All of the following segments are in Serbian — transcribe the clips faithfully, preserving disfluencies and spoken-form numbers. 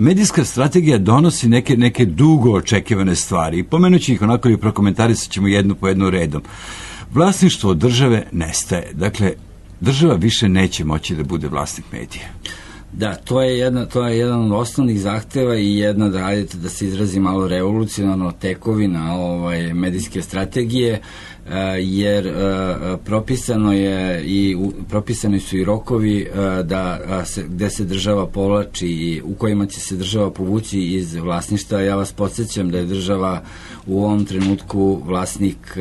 medijska strategija donosi neke, neke dugo očekivane stvari. I pomenući ih onako i prokomentarisat ćemo jednu po jednu redom. Vlasništvo države nestaje. Dakle, država više neće moći da bude vlasnik medija. Da, to je, jedna, to je jedan od osnovnih zahteva i jedna, da radite, da se izrazi malo revolucionarno, tekovina ovaj, medijske strategije, jer propisano je i propisani su i rokovi da se, gde se država povlači i u kojima će se država povući iz vlasništva. Ja vas podsjećam da je država u ovom trenutku vlasnik,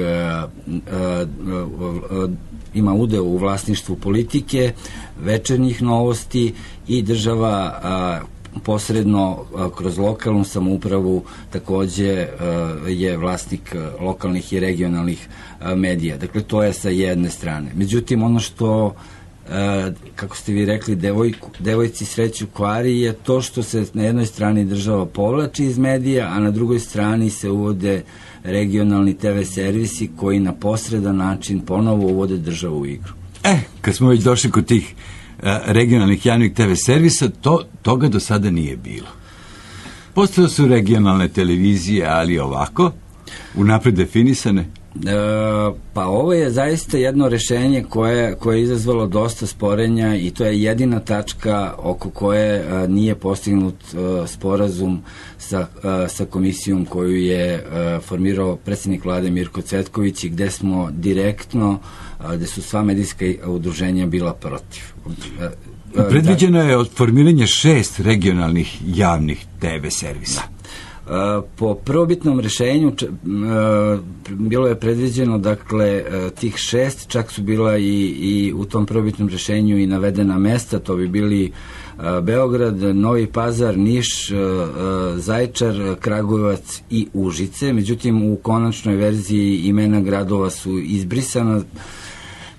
ima udeo u vlasništvu Politike, Večernjih novosti i država a, posredno a, kroz lokalnu samoupravu takođe a, je vlasnik a, lokalnih i regionalnih a, medija. Dakle, to je sa jedne strane. Međutim, ono što a, kako ste vi rekli, devojku, devojci sreću kvari je to što se na jednoj strani država povlači iz medija, a na drugoj strani se uvode regionalni te ve servisi koji na posredan način ponovo uvode državu u igru. E, kad smo već došli kod tih uh, regionalnih javnih te ve servisa, to, toga do sada nije bilo. Postojale su regionalne televizije, ali ovako, unapred definisane. E, pa ovo je zaista jedno rešenje koje, koje je izazvalo dosta sporenja i to je jedina tačka oko koje a, nije postignut a, sporazum sa, a, sa komisijom koju je a, formirao predsjednik vlade Mirko Cvetković i gde smo direktno, a, gde su sva medijska udruženja bila protiv. A, a, Predviđeno je od formiranja šest regionalnih javnih te ve servisa. Da. Po prvobitnom rešenju bilo je predviđeno, dakle, tih šest, čak su bila i, i u tom prvobitnom rešenju i navedena mesta, to bi bili Beograd, Novi Pazar, Niš, Zaječar, Kragujevac i Užice. Međutim, u konačnoj verziji imena gradova su izbrisana,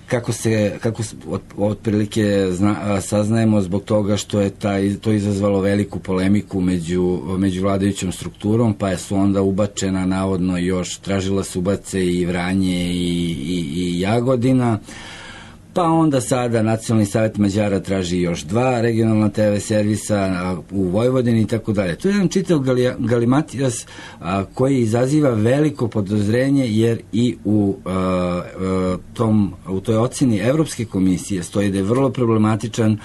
kako se, kako od, otprilike zna, saznajemo zbog toga što je taj, to izazvalo veliku polemiku među, među vladajućom strukturom, pa je su onda ubačena navodno još, tražila se ubace i Vranje i, i, i Jagodina, pa onda sada Nacionalni savjet Mađara traži još dva regionalna te ve servisa u Vojvodini i tako dalje. To je jedan čitav galimatijas a, koji izaziva veliko podozrenje, jer i u, a, a, tom, u toj oceni Evropske komisije stoji da je vrlo problematičan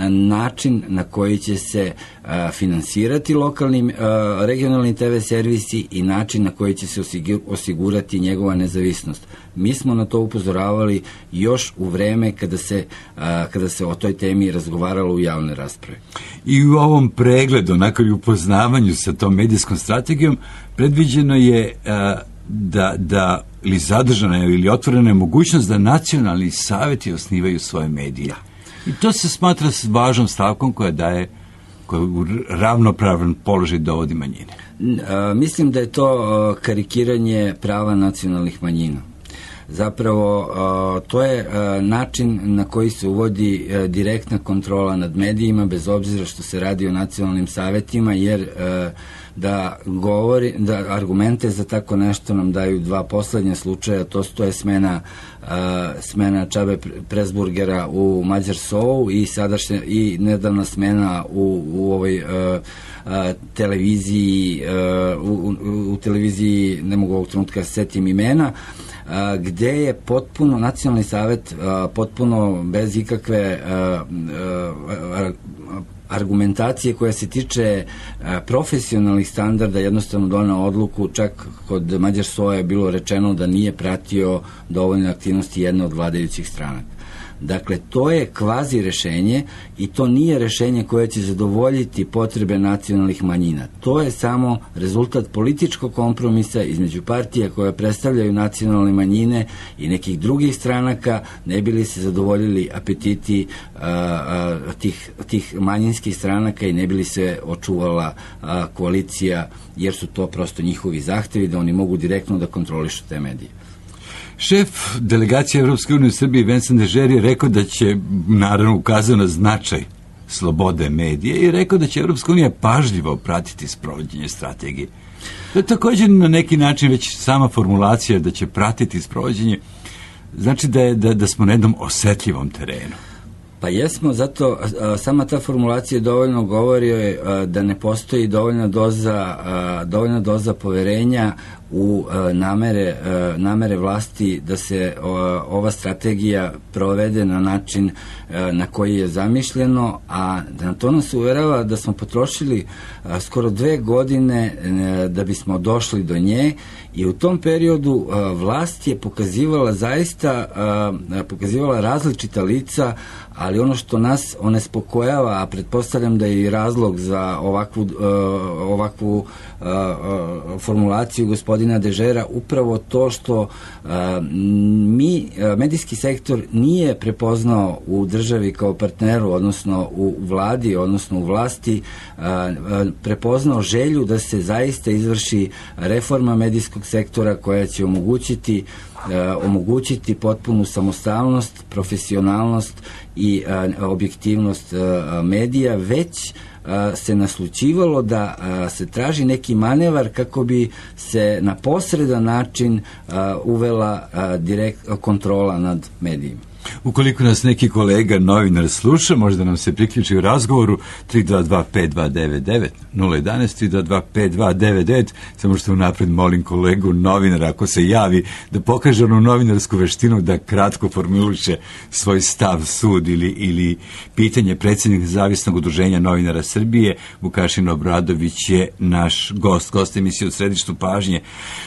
način na koji će se a, finansirati lokalni, a, regionalni te ve servisi i način na koji će se osigurati njegova nezavisnost. Mi smo na to upozoravali još u vreme kada se, a, kada se o toj temi razgovaralo u javnoj raspravi. I u ovom pregledu, onako i upoznavanju sa tom medijskom strategijom, predviđeno je a, da, da ili zadržana je ili otvorena je mogućnost da nacionalni savjeti osnivaju svoje medije. I to se smatra važnom stavkom koja daje, koja u ravnopravan položaj dovodi manjine. A, mislim da je to a, karikiranje prava nacionalnih manjina. Zapravo, to je način na koji se uvodi direktna kontrola nad medijima, bez obzira što se radi o nacionalnim savetima, jer da govori, da argumente za tako nešto nam daju dva poslednja slučaja, to, to je smena, smena Čabe Presburgera u Mađarsou i sadašnja i nedavna smena u, u ovoj televiziji, u, u, u televiziji, ne mogu ovog trenutka setim imena, a, gde je potpuno nacionalni savet a, potpuno bez ikakve a, a, a, argumentacije koja se tiče a, profesionalnih standarda jednostavno doneo odluku, čak kod Mađarsoja je bilo rečeno da nije pratio dovoljne aktivnosti jedne od vladajućih stranaka. Dakle, to je kvazi rešenje i to nije rešenje koje će zadovoljiti potrebe nacionalnih manjina. To je samo rezultat političkog kompromisa između partija koje predstavljaju nacionalne manjine i nekih drugih stranaka, ne bi li se zadovoljili apetiti a, a, tih, tih manjinskih stranaka i ne bi li se očuvala a, koalicija, jer su to prosto njihovi zahtevi da oni mogu direktno da kontrolišu te medije. Šef delegacije Evropske unije u Srbiji Vincent Dežer je rekao da će, naravno ukazao na značaj slobode medije i rekao da će Evropska unija pažljivo pratiti sprovođenje strategije. To je također na neki način već sama formulacija da će pratiti sprovođenje, znači da, je, da, da smo na jednom osetljivom terenu. Pa jesmo, zato a, sama ta formulacija dovoljno govori a, da ne postoji dovoljna doza, a, dovoljna doza poverenja u a, namere, a, namere vlasti da se a, ova strategija provede na način a, na koji je zamišljeno, a na to nas uverava da smo potrošili a, skoro dve godine a, da bismo došli do nje, i u tom periodu a, vlast je pokazivala zaista a, pokazivala različita lica, ali ono što nas onespokojava, a pretpostavljam da je i razlog za ovakvu, uh, ovakvu uh, uh, formulaciju gospodina Dežera, upravo to što uh, mi, uh, medijski sektor nije prepoznao u državi kao partneru, odnosno u vladi, odnosno u vlasti, uh, uh, prepoznao želju da se zaista izvrši reforma medijskog sektora koja će omogućiti Uh, omogućiti potpunu samostalnost, profesionalnost i uh, objektivnost uh, medija, već uh, se naslućivalo da uh, se traži neki manevar kako bi se na posredan način uh, uvela uh, direkt, kontrola nad medijima. Ukoliko nas neki kolega novinar sluša, možda nam se priključi u razgovoru tri dva dva pet dva devet devet nula jedan tri dva dva pet dva devet devet, samo što unapred molim kolegu novinara, ako se javi, da pokaže onu novinarsku veštinu da kratko formuliše svoj stav, sud ili, ili pitanje. Predsjednik Nezavisnog udruženja novinara Srbije, Vukašin Obradović, je naš gost, gost emisije U središtu pažnje.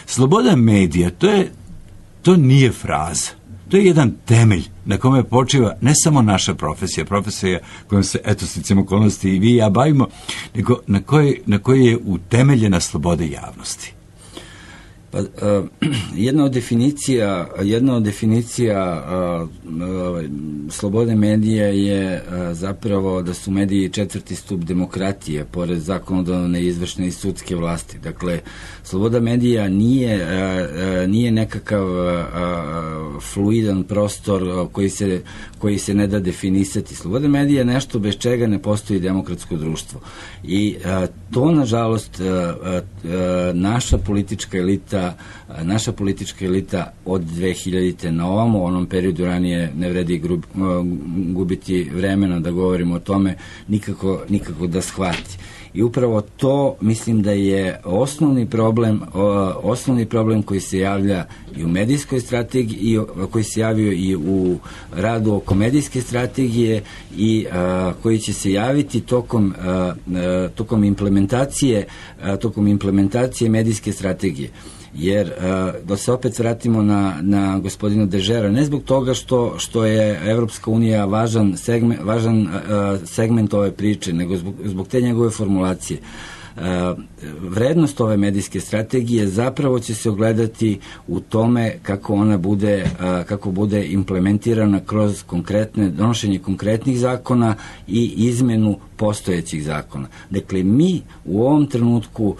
Sloboda medija, to je, to nije fraza. To je jedan temelj na kome počiva ne samo naša profesija, profesija kojom se, eto, sticam okolnosti i vi i ja bavimo, nego na kojoj na koji je utemeljena sloboda javnosti. Pa, uh, jedna od definicija, jedna od definicija uh, uh, slobode medija je uh, zapravo da su mediji četvrti stup demokratije, pored zakonodavne, izvršne i sudske vlasti. Dakle, sloboda medija nije, uh, uh, nije nekakav uh, uh, fluidan prostor uh, koji se, koji se ne da definisati. Sloboda medija je nešto bez čega ne postoji demokratsko društvo. I uh, to, nažalost, uh, uh, naša politička elita naša politička elita od dve hiljadite na ovamo, u onom periodu ranije ne vredi grub, gubiti vremena da govorimo o tome, nikako, nikako da shvati. I upravo to mislim da je osnovni problem, osnovni problem koji se javlja i u medijskoj strategiji, i koji se javio i u radu oko medijske strategije i a, koji će se javiti tokom, a, a, tokom implementacije, a, tokom implementacije medijske strategije. Jer, uh, da se opet vratimo na, na gospodina Dežera, ne zbog toga što, što je Evropska unija važan segment, važan, uh, segment ove priče, nego zbog, zbog te njegove formulacije. Uh, vrednost ove medijske strategije zapravo će se ogledati u tome kako ona bude, uh, kako bude implementirana kroz konkretne, donošenje konkretnih zakona i izmenu postojećih zakona. Dakle, mi u ovom trenutku uh,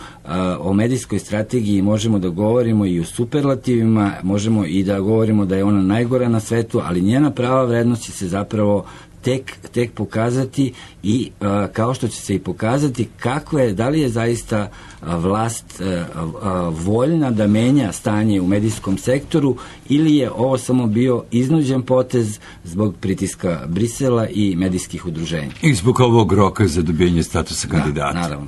o medijskoj strategiji možemo da govorimo i o superlativima, možemo i da govorimo da je ona najgora na svetu, ali njena prava vrednost će se zapravo tek, tek pokazati i uh, kao što će se i pokazati kako je, da li je zaista uh, vlast uh, uh, voljna da menja stanje u medijskom sektoru ili je ovo samo bio iznuđen potez zbog pritiska Brisela i medijskih udruženja. I zbog ovog roka za dobijenje statusa kandidata. Da, naravno.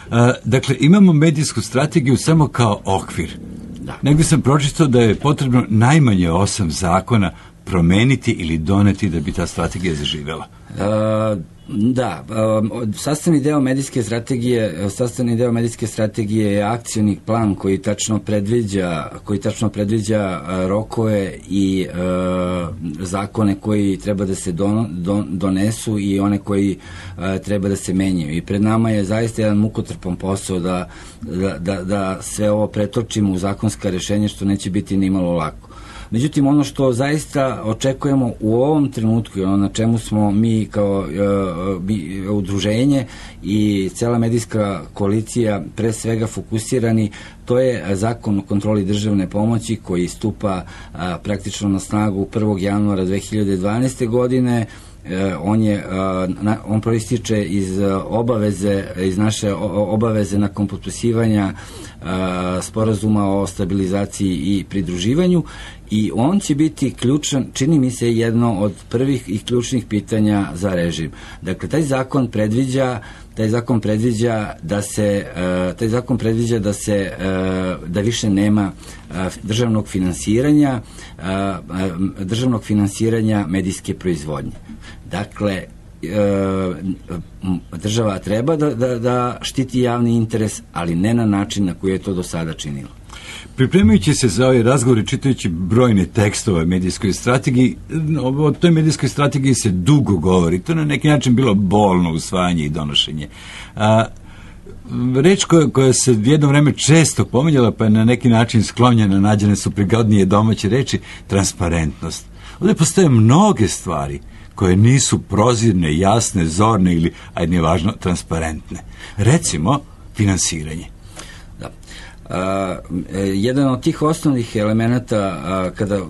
Uh, dakle, imamo medijsku strategiju samo kao okvir. Da. Negdje sam pročitao da je potrebno najmanje osam zakona promeniti ili doneti da bi ta strategija zaživela. Uh, da, uh, sastavni deo medijske strategije, sastavni deo medijske strategije je akcioni plan koji tačno predviđa, koji tačno predviđa uh, rokove i uh, zakone koji treba da se don, don, donesu i one koji uh, treba da se menjaju. I pred nama je zaista jedan mukotrpan posao da, da, da, da sve ovo pretočimo u zakonska rešenja, što neće biti nimalo lako. Međutim, ono što zaista očekujemo u ovom trenutku i ono na čemu smo mi kao uh, mi, udruženje i cela medijska koalicija pre svega fokusirani, to je zakon o kontroli državne pomoći koji stupa uh, praktično na snagu prvog januara dve hiljade dvanaeste godine on je on proističe iz obaveze iz naše obaveze nakon potpisivanja sporazuma o stabilizaciji i pridruživanju, i on će biti ključan, čini mi se, jedno od prvih i ključnih pitanja za režim. Dakle, taj zakon predviđa taj zakon predviđa da se taj zakon predviđa da se da više nema državnog finansiranja državnog finansiranja medijske proizvodnje. Dakle, država treba da, da, da štiti javni interes, ali ne na način na koji je to do sada činilo. Pripremajući se za ovaj razgovor i čitajući brojne tekstove o medijskoj strategiji, o toj medijskoj strategiji se dugo govori. To je na neki način bilo bolno usvajanje i donošenje. A, reč koja, koja se jedno vreme često pominjala, pa je na neki način sklonjena, nađene su prigodnije domaće reči, transparentnost. Ovdje postoje mnoge stvari koje nisu prozirne, jasne, zorne ili, ajde nije važno, transparentne. Recimo, finansiranje. Da. Uh, jedan od tih osnovnih elemenata uh, kada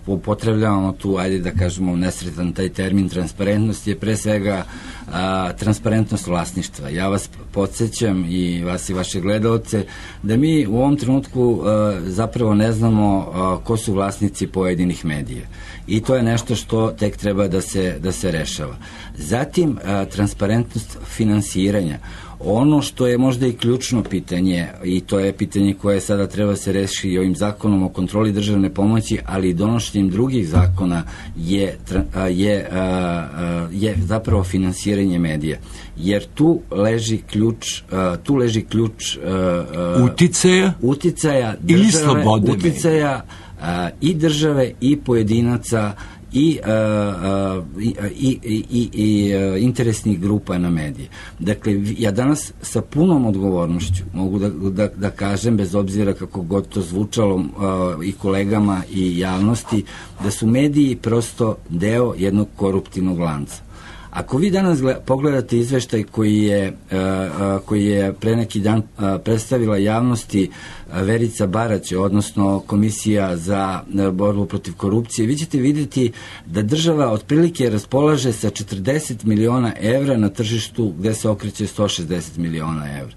upotrebljavamo tu, ajde da kažemo nesretan taj termin transparentnost, je pre svega uh, transparentnost vlasništva. Ja vas podsjećam i vas i vaše gledalce da mi u ovom trenutku uh, zapravo ne znamo uh, ko su vlasnici pojedinih medija. I to je nešto što tek treba da se, da se rešava. Zatim, a, transparentnost finansiranja. Ono što je možda i ključno pitanje, i to je pitanje koje sada treba se rešiti i ovim zakonom o kontroli državne pomoći, ali i donošenjem drugih zakona, je, a, je, a, a, je zapravo finansiranje medija. Jer tu leži ključ, a, tu leži ključ a, a, uticaja, uticaja države, ili slobode uticaja a, i države i pojedinaca i, a, i, i, i, i interesnih grupa na medije. Dakle, ja danas sa punom odgovornošću mogu da, da, da kažem, bez obzira kako god to zvučalo a, i kolegama i javnosti, da su mediji prosto deo jednog koruptivnog lanca. Ako vi danas gleda, pogledate izveštaj koji je, a, koji je pre neki dan a, predstavila javnosti a, Verica Barać, odnosno Komisija za a, borbu protiv korupcije, vi ćete vidjeti da država otprilike raspolaže sa četrdeset miliona evra na tržištu gde se okreće sto šezdeset miliona evra.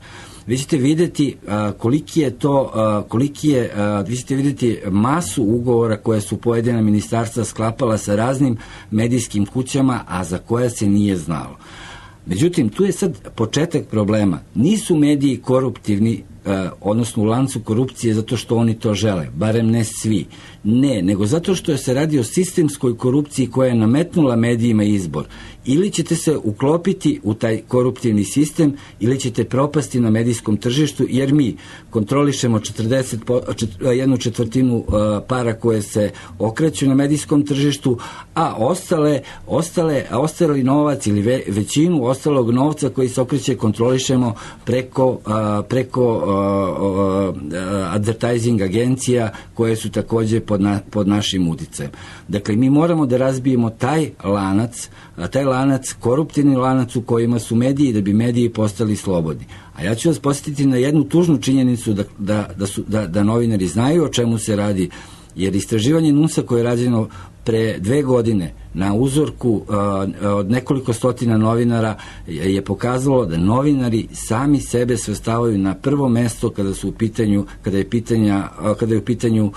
Vi ćete vidjeti a, koliki je to, a, koliki je, a, vi ćete vidjeti masu ugovora koje su pojedina ministarstva sklapala sa raznim medijskim kućama, a za koje se nije znalo. Međutim, tu je sad početak problema. Nisu mediji koruptivni, a, odnosno u lancu korupcije zato što oni to žele, barem ne svi. Ne, nego zato što se radi o sistemskoj korupciji koja je nametnula medijima izbor. Ili ćete se uklopiti u taj koruptivni sistem, ili ćete propasti na medijskom tržištu, jer mi kontrolišemo četrdeset, jednu četvrtinu uh, para koje se okreću na medijskom tržištu, a ostale, ostale, a ostali novac ili ve, većinu ostalog novca koji se okreće kontrolišemo preko, uh, preko uh, uh, advertising agencija koje su takođe pod, na, pod našim uticajem. Dakle, mi moramo da razbijemo taj lanac, a taj lanac, koruptivni lanac u kojima su mediji, da bi mediji postali slobodni. A ja ću vas posjetiti na jednu tužnu činjenicu da, da, da, su, da, da novinari znaju o čemu se radi, jer istraživanje NUNS-a koje je rađeno pre dve godine na uzorku uh, od nekoliko stotina novinara je pokazalo da novinari sami sebe svrstavaju na prvo mesto kada su u pitanju, kada je pitanja, uh, kada je u pitanju uh,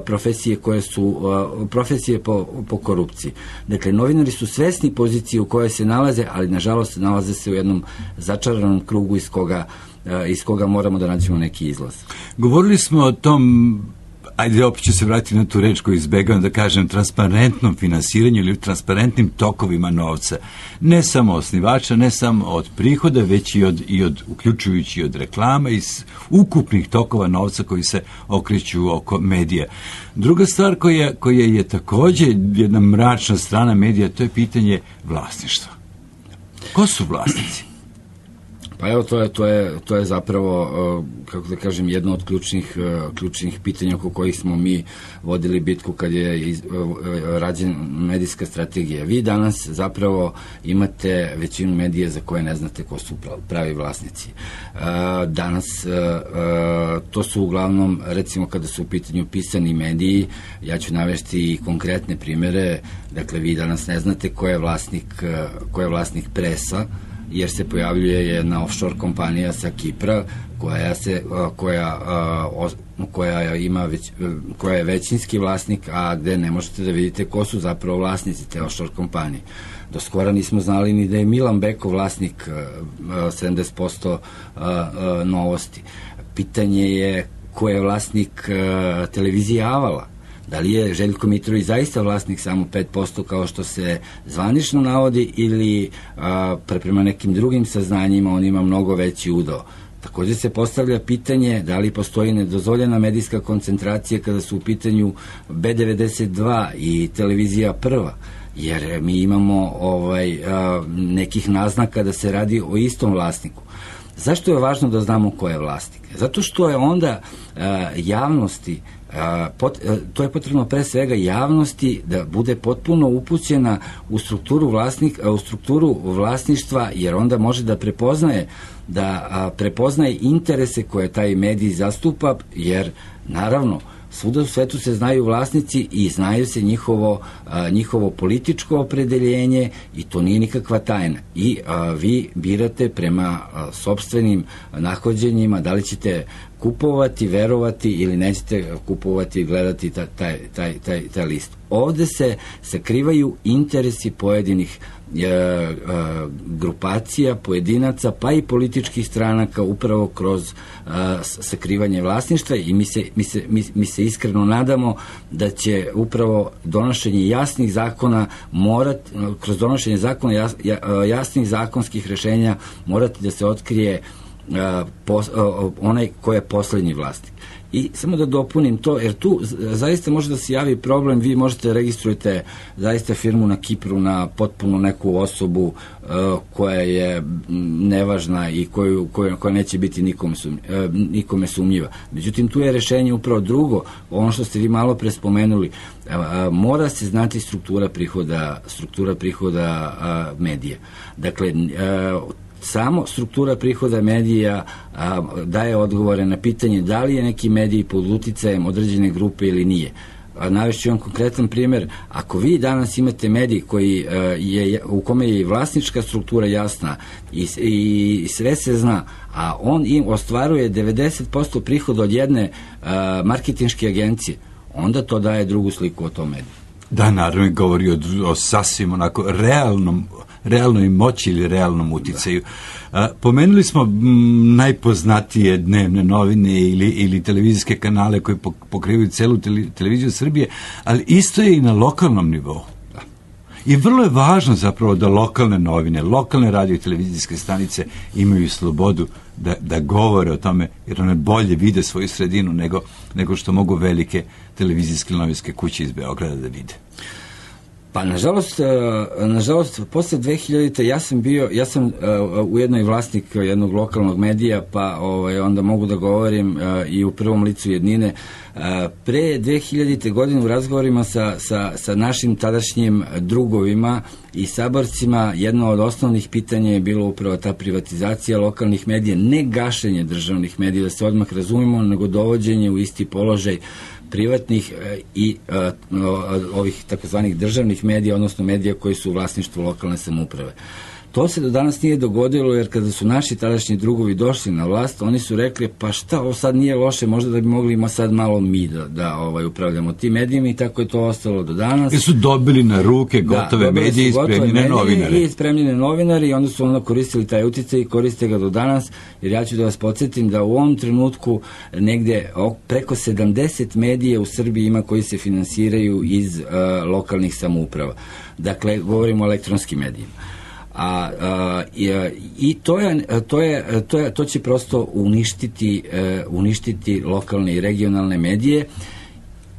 profesije koje su uh, profesije po, po korupciji. Dakle, novinari su svesni pozicije u kojoj se nalaze, ali nažalost nalaze se u jednom začaranom krugu iz koga, uh, iz koga moramo da nađemo neki izlaz. Govorili smo o tom, ajde, opet ću se vratiti na tu reč koju izbegavam da kažem, transparentnom finansiranju ili transparentnim tokovima novca. Ne samo osnivača, ne samo od prihoda, već i od, i od uključujući od reklama i ukupnih tokova novca koji se okreću oko medija. Druga stvar koja, koja je takođe jedna mračna strana medija, to je pitanje vlasništva. Ko su vlasnici? Pa evo, to je, to je, to je zapravo, kako da kažem, jedno od ključnih, ključnih pitanja oko kojih smo mi vodili bitku kad je iz, rađena medijska strategija. Vi danas zapravo imate većinu medija za koje ne znate ko su pravi vlasnici. Danas to su uglavnom, recimo kada su u pitanju pisani mediji, ja ću navesti i konkretne primere, dakle vi danas ne znate ko je vlasnik, ko je vlasnik Presa, jer se pojavljuje jedna offshore kompanija sa Kipra koja se koja koja ima već, koja je većinski vlasnik, a gde ne možete da vidite ko su zapravo vlasnici te offshore kompanije. Do skora nismo znali ni da je Milan Beko vlasnik sedamdeset posto Novosti. Pitanje je ko je vlasnik televizije Avala. Da li je Željko Mitrović zaista vlasnik samo pet posto kao što se zvanično navodi ili a, prema nekim drugim saznanjima on ima mnogo veći udeo. Također se postavlja pitanje da li postoji nedozvoljena medijska koncentracija kada su u pitanju B devedeset dva i televizija Prva, jer mi imamo ovaj, a, nekih naznaka da se radi o istom vlasniku. Zašto je važno da znamo ko je vlasnik? Zato što je onda a, javnosti Pot, to je potrebno pre svega javnosti da bude potpuno upućena u strukturu vlasnik, u strukturu vlasništva, jer onda može da prepoznaje da prepoznaje interese koje taj medij zastupa, jer naravno svuda u svetu se znaju vlasnici i znaju se njihovo, a, njihovo političko opredeljenje i to nije nikakva tajna. I a, vi birate prema a, sopstvenim nahođenjima da li ćete kupovati, verovati ili nećete kupovati i gledati taj, taj, taj, taj, taj list. Ovde se sakrivaju interesi pojedinih e, e, grupacija, pojedinaca, pa i političkih stranaka upravo kroz e, sakrivanje vlasništva i mi se, mi, se, mi, mi se iskreno nadamo da će upravo donošenje jasnih zakona morati, kroz donošenje zakona jas, jasnih zakonskih rešenja morati da se otkrije Uh, pos, uh, onaj ko je poslednji vlasnik. I samo da dopunim to, jer tu zaista može da se javi problem, vi možete da registrujete zaista firmu na Kipru na potpuno neku osobu uh, koja je nevažna i koju, koja, koja neće biti nikome, sumnj, uh, nikome sumnjiva. Međutim, tu je rešenje upravo drugo, ono što ste vi malo pre spomenuli, uh, uh, mora se znati struktura prihoda, struktura prihoda uh, medija. Dakle, uh, samo struktura prihoda medija a, daje odgovore na pitanje da li je neki medij pod uticajem određene grupe ili nije. Navešću vam konkretan primjer, ako vi danas imate medij koji a, je, u kome je vlasnička struktura jasna i, i sve se zna, a on im ostvaruje devedeset posto prihoda od jedne a, marketinške agencije, onda to daje drugu sliku o tom mediju. Da, naravno govori o, o sasvim onako realnom realnoj moći ili realnom uticaju. A, pomenuli smo m, najpoznatije dnevne novine ili, ili televizijske kanale koji pokrivaju celu tele, televiziju Srbije, ali isto je i na lokalnom nivou. Da. I vrlo je važno zapravo da lokalne novine, lokalne radio i televizijske stanice imaju slobodu da, da govore o tome, jer one bolje vide svoju sredinu nego, nego što mogu velike televizijske novinske kuće iz Beograda da vide. Pa nažalost, nažalost posle dve hiljadite ja sam bio, ja sam uh, ujedno i vlasnik jednog lokalnog medija, pa ovaj, onda mogu da govorim uh, i u prvom licu jednine. Uh, pre dve hiljadite godine u razgovorima sa, sa, sa našim tadašnjim drugovima i saborcima jedno od osnovnih pitanja je bilo upravo ta privatizacija lokalnih medija, ne gašenje državnih medija, da se odmah razumemo, nego dovođenje u isti položaj privatnih i uh, ovih takozvanih državnih medija, odnosno medija koji su u vlasništvu lokalne samouprave. To se do danas nije dogodilo, jer kada su naši tadašnji drugovi došli na vlast, oni su rekli, pa šta, ovo sad nije loše, možda da bi mogli ima sad malo mi da, da ovaj, upravljamo tim medijima, i tako je to ostalo do danas. I su dobili na ruke gotove da, medije i spremljene novinare. I spremljene novinari, i onda su ono koristili taj uticaj i koriste ga do danas, jer ja ću da vas podsjetim da u ovom trenutku negde preko sedamdeset medija u Srbiji ima koji se finansiraju iz uh, lokalnih samouprava. Dakle, govorimo o elektronskim medijima. A, a i, i to je to je to je to će prosto uništiti uh, uništiti lokalne i regionalne medije,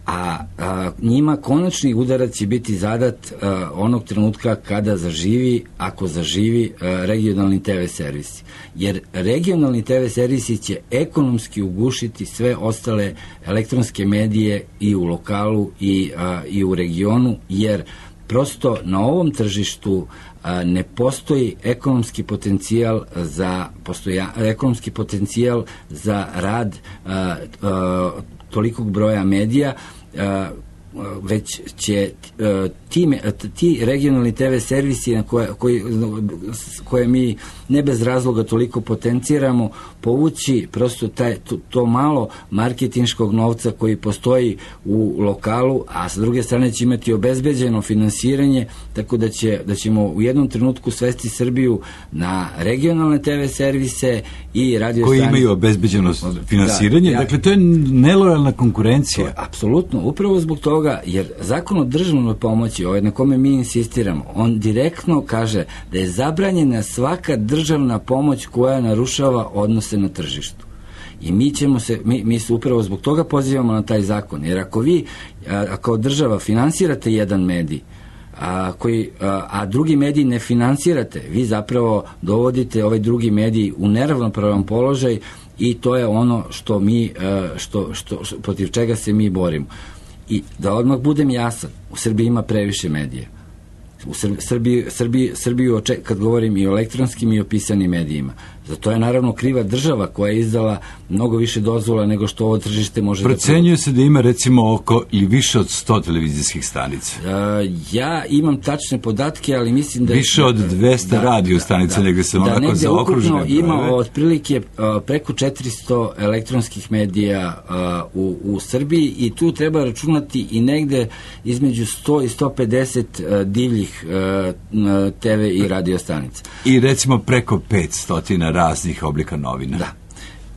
a, a njima konačni udarac će biti zadat a, onog trenutka kada zaživi, ako zaživi a, regionalni te ve servisi. Jer regionalni te ve servisi će ekonomski ugušiti sve ostale elektronske medije i u lokalu i, a, i u regionu, jer prosto na ovom tržištu a, ne postoji ekonomski potencijal za postoja, ekonomski potencijal za rad a, a, tolikog broja medija, a, već će a, ti, ti regionalni te ve servisi na koje, koji, koje mi ne bez razloga toliko potenciramo, povući prosto taj, to, to malo marketinškog novca koji postoji u lokalu, a sa druge strane će imati obezbeđeno finansiranje, tako da, će, da ćemo u jednom trenutku svesti Srbiju na regionalne te ve servise i radio koji stanice imaju obezbeđeno finansiranje. Da, ja, dakle, to je nelojalna konkurencija. To, apsolutno, upravo zbog toga, jer zakon o državnoj pomoći, ovaj na kome mi insistiramo, on direktno kaže da je zabranjena svaka državna pomoć koja narušava odnose na tržištu. I mi ćemo se, mi, mi se upravo zbog toga pozivamo na taj zakon, jer ako vi, a, kao država finansirate jedan medij, a, koji, a, a drugi medij ne finansirate, vi zapravo dovodite ovaj drugi medij u neravnopravan položaj i to je ono što mi, a, što, što, što, protiv čega se mi borimo. I da odmah budem jasan, u Srbiji ima previše medija. U Srbiji, Srbiji, Srbiju, kad govorim i o elektronskim i o pisanim medijima. Za to je naravno kriva država koja je izdala mnogo više dozvola nego što ovo tržište može Procenjuje da... Procenjuje se da ima recimo oko ili više od sto televizijskih stanica. Uh, ja imam tačne podatke, ali mislim da... Više od dvesta da, radio stanica, da, nego sam da, onako zaokružene. Da, ima otprilike uh, preko četiristo elektronskih medija uh, u, u Srbiji i tu treba računati i negde između sto i sto pedeset uh, divljih uh, te ve i radio stanica. I recimo preko petsto raznih oblika novina. Da.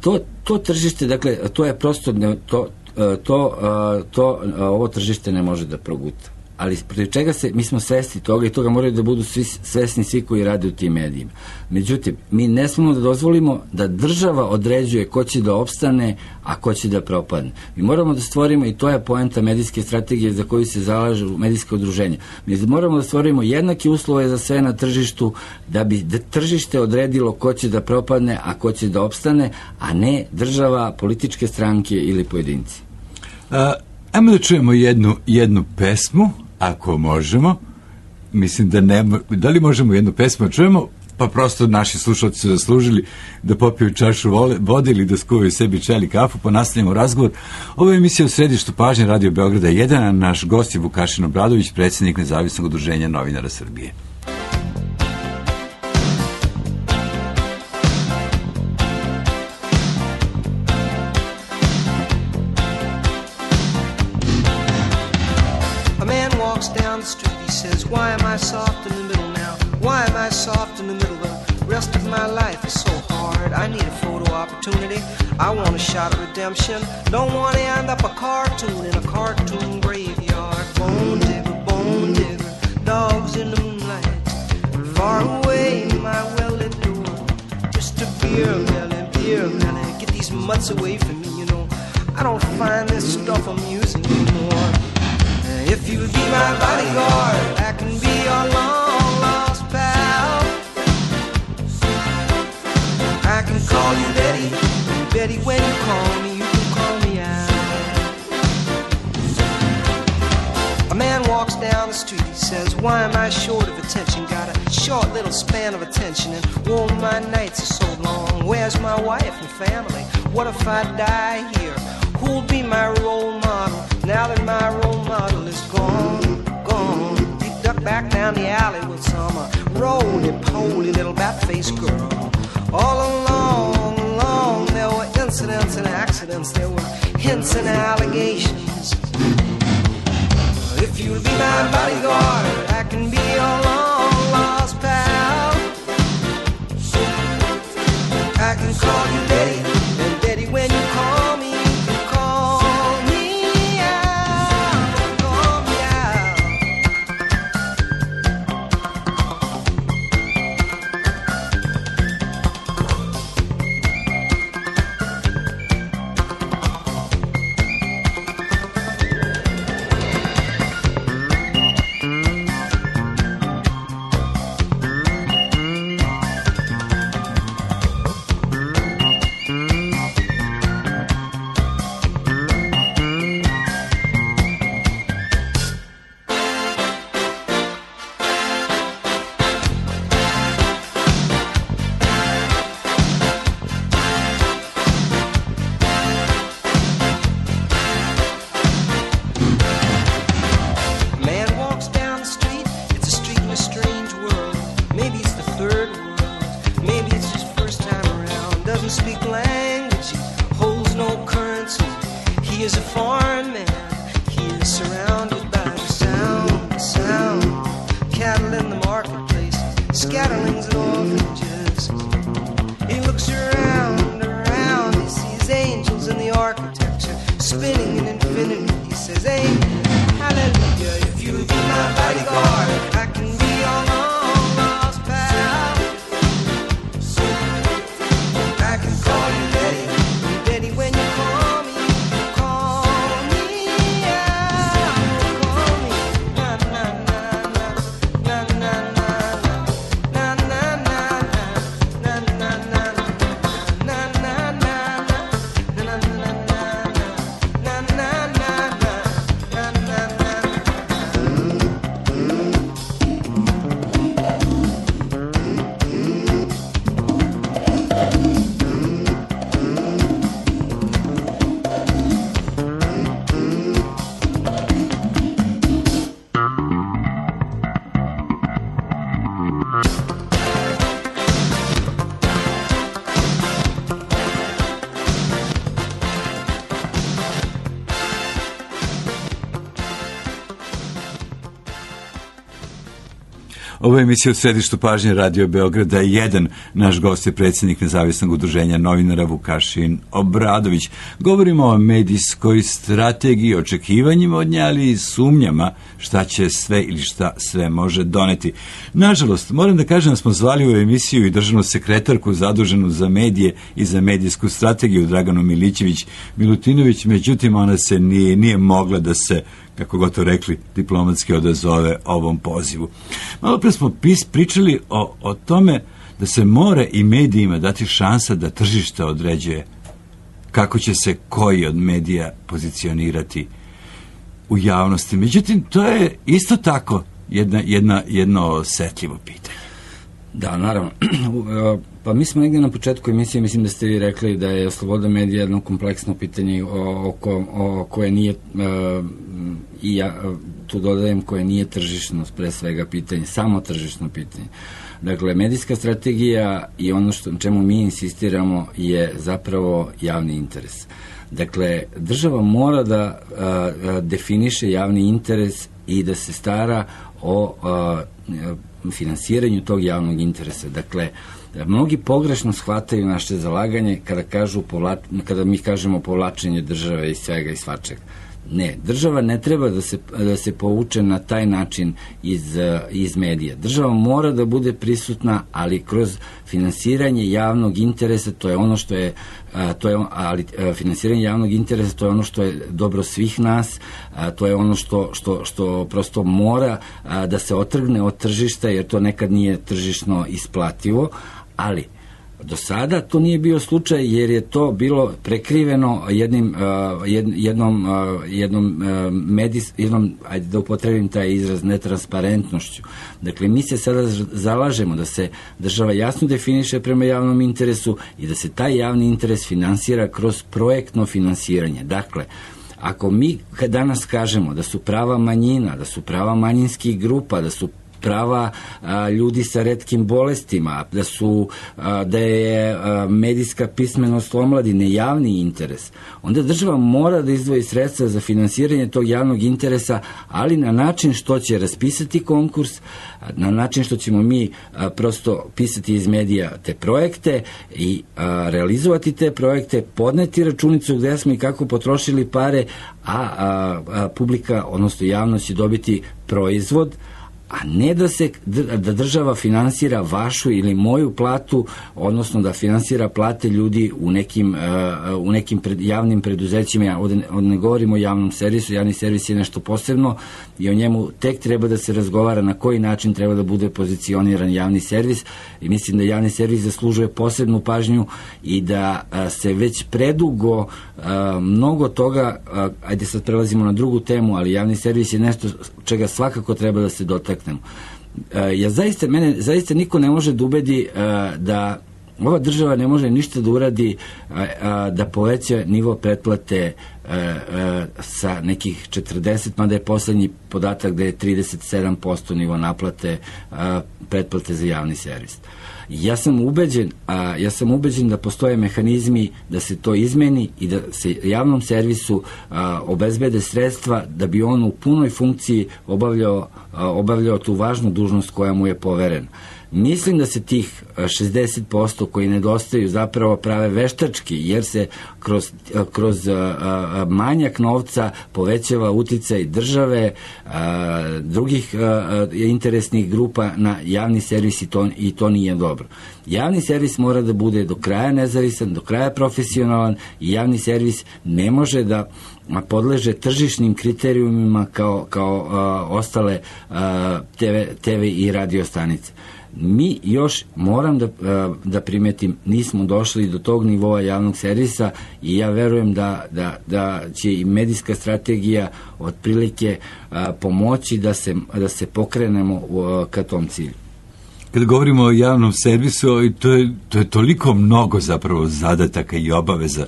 To, to tržište, dakle, to je prosto, ne, to, to, to, to, ovo tržište ne može da proguta. Ali protiv čega se, mi smo svesni toga i toga moraju da budu svi, svesni svi koji rade u tim medijima. Međutim, mi ne smemo da dozvolimo da država određuje ko će da opstane, a ko će da propadne. Mi moramo da stvorimo, i to je poenta medijske strategije za koju se zalažu medijske udruženja, mi moramo da stvorimo jednake uslove za sve na tržištu, da bi tržište odredilo ko će da propadne, a ko će da opstane, a ne država, političke stranke ili pojedinci. A, ajmo da čujemo jednu, jednu pesmu, ako možemo. Mislim da ne, da li možemo jednu pesmu čujemo, pa prosto naši slušalci su zaslužili da popiju čašu vode ili da skuvaju sebi čaj ili kafu, pa nastavljamo razgovor. Ovo je emisija u središtu pažnje Radio Beograda jedan, a naš gost je Vukašin Obradović, predsjednik Nezavisnog udruženja novinara Srbije. Why am I soft in the middle now? Why am I soft in the middle? The rest of my life is so hard. I need a photo opportunity. I want a shot of redemption. Don't want to end up a cartoon in a cartoon graveyard. Bone digger, bone digger, dogs in the moonlight. Far away, my well-lit door. Just a beer melon, beer melon. Get these mutts away from me, you know. I don't find this stuff amusing anymore. If you'll be my bodyguard, I can be your long-lost pal. I can call you Betty, Betty, when you call me, you can call me out. A man walks down the street, he says, why am I short of attention? Got a short little span of attention, and oh, my nights are so long. Where's my wife and family? What if I die here? Who'll be my role model now that my role model is gone, gone? He ducked back down the alley with some uh, roly-poly little bat-faced girl. All along, along, there were incidents and accidents, there were hints and allegations. If you'll be my bodyguard, I can be your long-lost pal. I can call you Betty, and Betty, when you call me, energy, holds no currency. He is a foreign man. He is surrounded by the sound, the sound. Cattle in the marketplace, scatterlings and orphanages. He looks around, around. He sees angels in the architecture, spinning in infinity. He says, amen, hallelujah. If you be my bodyguard, I can be your long lost pal. I can call you Betty, Betty when you call me, call me out, call me. Na na na na na na na na na na na na na na na Ovo je emisija u središtu pažnje Radio Beograda jedan. Naš gost je predsjednik Nezavisnog udruženja novinara Vukašin Obradović. Govorimo o medijskoj strategiji, očekivanjima od nje, ali i sumnjama šta će sve ili šta sve može doneti. Nažalost, moram da kažem da smo zvali u emisiju i državnu sekretarku zaduženu za medije i za medijsku strategiju Draganu Milićević-Milutinović, međutim ona se nije, nije mogla da se, kako god to rekli, diplomatski odazove ovom pozivu. Malo pre smo pis, pričali o, o tome da se mora i medijima dati šansa da tržište određuje kako će se koji od medija pozicionirati u javnosti. Međutim, to je isto tako jedna, jedna, jedno osetljivo pitanje. Da, naravno. Pa mi smo negdje na početku emisije, mislim da ste vi rekli da je sloboda medija jedno kompleksno pitanje o, o, o koje nije, i ja tu dodajem, koje nije tržišno, pre svega pitanje, samo tržišno pitanje. Dakle, medijska strategija i ono što, čemu mi insistiramo je zapravo javni interes. Dakle, država mora da a, a, definiše javni interes i da se stara o a, finansiranju tog javnog interesa. Dakle, mnogi pogrešno shvataju naše zalaganje kada, kažu, kada mi kažemo povlačenje države iz svega i svačega. Ne, država ne treba da se, da se povuče na taj način iz, iz medija. Država mora da bude prisutna, ali kroz finansiranje javnog interesa, to je ono što je, to je ali finansiranje javnog interesa, to je ono što je dobro svih nas, to je ono što, što, što prosto mora da se otrgne od tržišta, jer to nekad nije tržišno isplativo, ali do sada to nije bio slučaj, jer je to bilo prekriveno jednim, uh, jednom, uh, jednom, uh, medis, jednom, ajde da upotrebim taj izraz, netransparentnošću. Dakle, mi se sada zalažemo da se država jasno definiše prema javnom interesu i da se taj javni interes finansira kroz projektno finansiranje. Dakle, ako mi danas kažemo da su prava manjina, da su prava manjinskih grupa, da su prava a, ljudi sa retkim bolestima, da su a, da je a, medijska pismenost omladine javni interes, onda država mora da izdvoji sredstva za finansiranje tog javnog interesa, ali na način što će raspisati konkurs, na način što ćemo mi a, prosto pisati iz medija te projekte i a, realizovati te projekte, podneti računicu gde smo i kako potrošili pare, a, a, a publika, odnosno javnost će dobiti proizvod, a ne da se da država finansira vašu ili moju platu, odnosno da finansira plate ljudi u nekim, uh, u nekim pred, javnim preduzećima. Ja ovde ne govorimo o javnom servisu, javni servis je nešto posebno i o njemu tek treba da se razgovara na koji način treba da bude pozicioniran javni servis, i mislim da javni servis zaslužuje posebnu pažnju i da uh, se već predugo uh, mnogo toga, uh, ajde sad prelazimo na drugu temu, ali javni servis je nešto čega svakako treba da se dotakne. Ja zaista, mene zaista niko ne može da ubedi da ova država ne može ništa da uradi da poveća nivo pretplate sa nekih četrdeset, mada je poslednji podatak da je trideset sedam posto nivo naplate pretplate za javni servis. Ja sam ubeđen, a, ja sam ubeđen da postoje mehanizmi da se to izmeni i da se javnom servisu a, obezbede sredstva da bi on u punoj funkciji obavljao, a, obavljao tu važnu dužnost koja mu je poverena. Mislim da se tih šezdeset posto koji nedostaju zapravo prave veštački, jer se kroz, kroz manjak novca povećava uticaj države, drugih interesnih grupa na javni servis i to, i to nije dobro. Javni servis mora da bude do kraja nezavisan, do kraja profesionalan i javni servis ne može da podleže tržišnim kriterijumima kao, kao a, ostale a, te ve, te ve i radio stanice. Mi još, moram da, da primetim, nismo došli do tog nivoa javnog servisa i ja verujem da, da, da će i medijska strategija otprilike a, pomoći da se, da se pokrenemo a, ka tom cilju. Kada govorimo o javnom servisu, to je, to je toliko mnogo zapravo zadataka i obaveza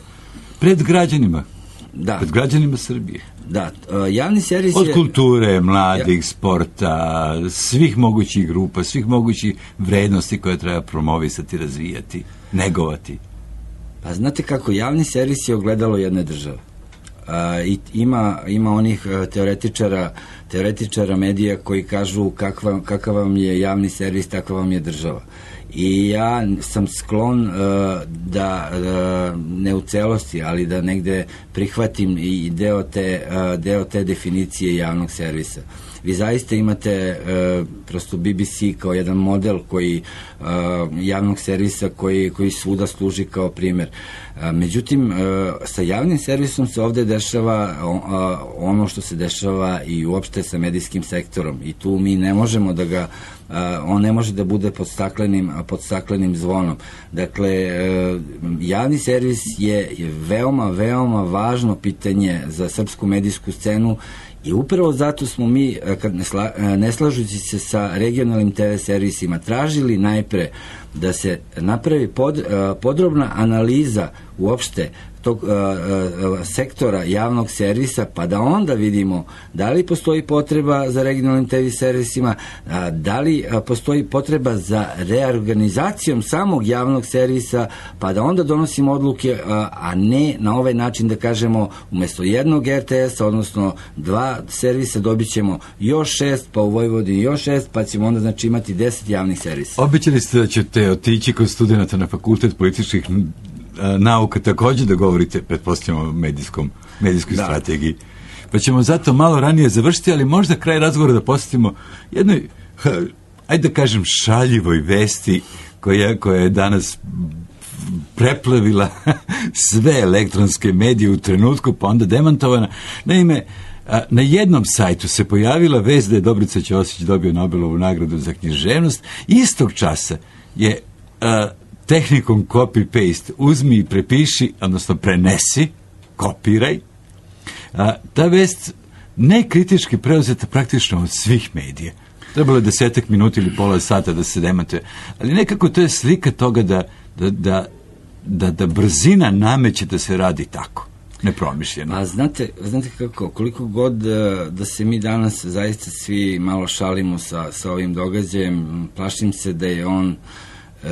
pred građanima, da. pred građanima Srbije. Da, javni servis je... Od kulture, mladih, sporta, svih mogućih grupa, svih mogućih vrednosti koje treba promovisati, razvijati, negovati. Pa znate kako, javni servis je ogledalo jedne države. A, i ima, ima onih teoretičara, teoretičara medija koji kažu kakva, kakav vam je javni servis, takva vam je država. I ja sam sklon uh, da uh, ne u celosti, ali da negde prihvatim i deo te, uh, deo te definicije javnog servisa. Vi zaista imate uh, prosto B B C kao jedan model koji uh, javnog servisa koji, koji svuda služi kao primjer. Uh, međutim, uh, sa javnim servisom se ovde dešava uh, ono što se dešava i uopšte sa medijskim sektorom i tu mi ne možemo da ga Uh, on ne može da bude pod staklenim, pod staklenim zvonom. Dakle, uh, javni servis je, je veoma, veoma važno pitanje za srpsku medijsku scenu i upravo zato smo mi, kad ne, sla, ne slažući se sa regionalnim te ve servisima, tražili najpre da se napravi pod, uh, podrobna analiza uopšte tog uh, uh, sektora javnog servisa, pa da onda vidimo da li postoji potreba za regionalnim te ve servisima, uh, da li uh, postoji potreba za reorganizacijom samog javnog servisa, pa da onda donosimo odluke, uh, a ne na ovaj način da kažemo umesto jednog er te esa, odnosno dva servisa, dobit ćemo još šest, pa u Vojvodini još šest, pa ćemo onda znači imati deset javnih servisa. Obećali ste da ćete otići kod studenta na Fakultet političkih nauka također da govorite, pretpostavljamo, o medijskom, medijskoj da. strategiji. Pa ćemo zato malo ranije završiti, ali možda kraj razgovora da posjetimo jednoj, ajde da kažem, šaljivoj vesti koja, koja je danas preplavila sve elektronske medije u trenutku, pa onda demantovana. Naime, na jednom sajtu se pojavila vest da je Dobrica Ćosić dobio Nobelovu nagradu za književnost. Istog časa je a, tehnikom copy-paste, uzmi i prepiši, odnosno prenesi, kopiraj. A, ta vest ne kritički preuzeta praktično od svih medija. Trebalo je desetak minuta ili pola sata da se demantuje. Ali nekako to je slika toga da, da, da, da, da brzina nameće da se radi tako. Nepromišljeno. A znate, znate kako, koliko god da se mi danas zaista svi malo šalimo sa, sa ovim događajem, plašim se da je on Uh,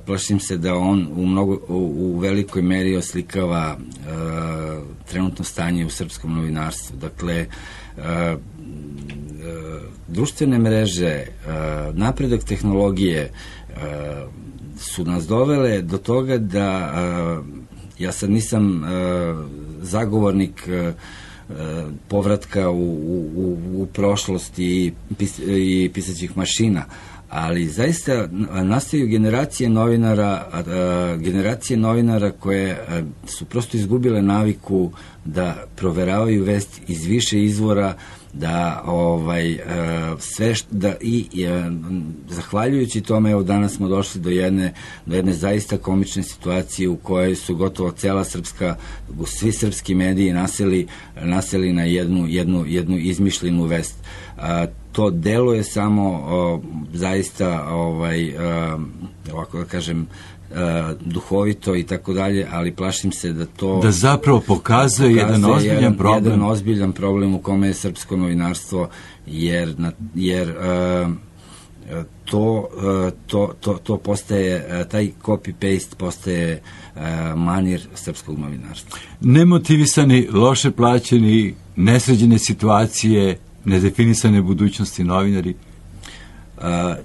plašim se da on u, mnogo, u, u velikoj meri oslikava uh, trenutno stanje u srpskom novinarstvu. Dakle, uh, uh, društvene mreže, uh, napredak tehnologije uh, su nas dovele do toga da uh, ja sad nisam uh, zagovornik uh, povratka u, u, u prošlost i, pis, i pisaćih mašina, ali zaista nastaju generacije novinara, generacije novinara koje su prosto izgubile naviku da proveravaju vest iz više izvora, da ovaj sve što, da i, i zahvaljujući tome, evo danas smo došli do jedne do jedne zaista komične situacije u kojoj su gotovo cela srpska, svi srpski mediji naseli naseli na jednu jednu jednu izmišljenu vest. A, to deluje samo o, zaista ovaj a, ovako da kažem a, duhovito i tako dalje, ali plašim se da to da zapravo pokazuje, pokazuje jedan ozbiljan jedan, problem jedan ozbiljan problem u kome je srpsko novinarstvo, jer na, jer a, to, to, to, to postaje, taj copy-paste postaje manir srpskog novinarstva. Nemotivisani, loše plaćeni, nesređene situacije, nedefinisane budućnosti novinari. Uh,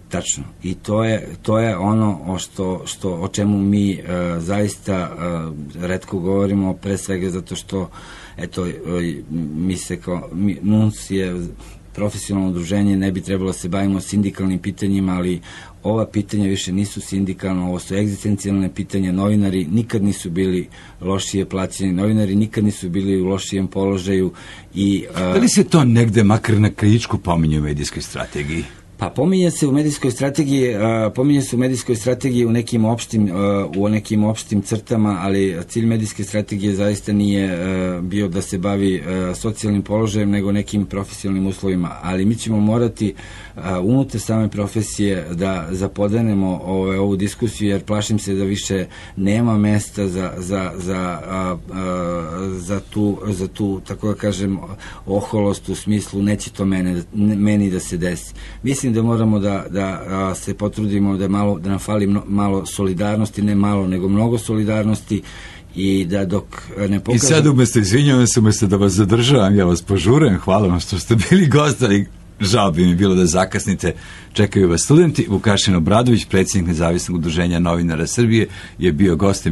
tačno. I to je, to je ono o, što, što, o čemu mi uh, zaista uh, retko govorimo, pre svega zato što eto, uh, mi se kao, mi, N U N S je profesionalno udruženje, ne bi trebalo da se bavimo sindikalnim pitanjima, ali ova pitanja više nisu sindikalna, ovo su egzistencijalne pitanja. Novinari nikad nisu bili lošije plaćeni, novinari nikad nisu bili u lošijem položaju. I, uh, da li se to negde makar na kritičku pominje u medijskoj strategiji? Pa pominje se u medijskoj strategiji, uh, pominje se u medijskoj strategiji u nekim opštim, uh, u nekim opštim crtama, ali cilj medijske strategije zaista nije uh, bio da se bavi uh, socijalnim položajem, nego nekim profesionalnim uslovima. Ali mi ćemo morati uh, unutar same profesije da zapodenemo ove, ovu diskusiju, jer plašim se da više nema mesta za, za, za, uh, uh, za, tu, za tu, tako da kažem, oholost u smislu neće to mene, meni da se desi. Mislim da moramo da, da se potrudimo da, malo, da nam fali mno, malo solidarnosti, ne malo, nego mnogo solidarnosti, i da dok ne pokažem... I sad umesto, izvinjavam se, umesto da vas zadržavam, ja vas požurujem, hvala vam što ste bili gost, ali žao bi mi bilo da zakasnite. Čekaju vas studenti. Vukašin Obradović, predsjednik Nezavisnog udruženja novinara Srbije, je bio gost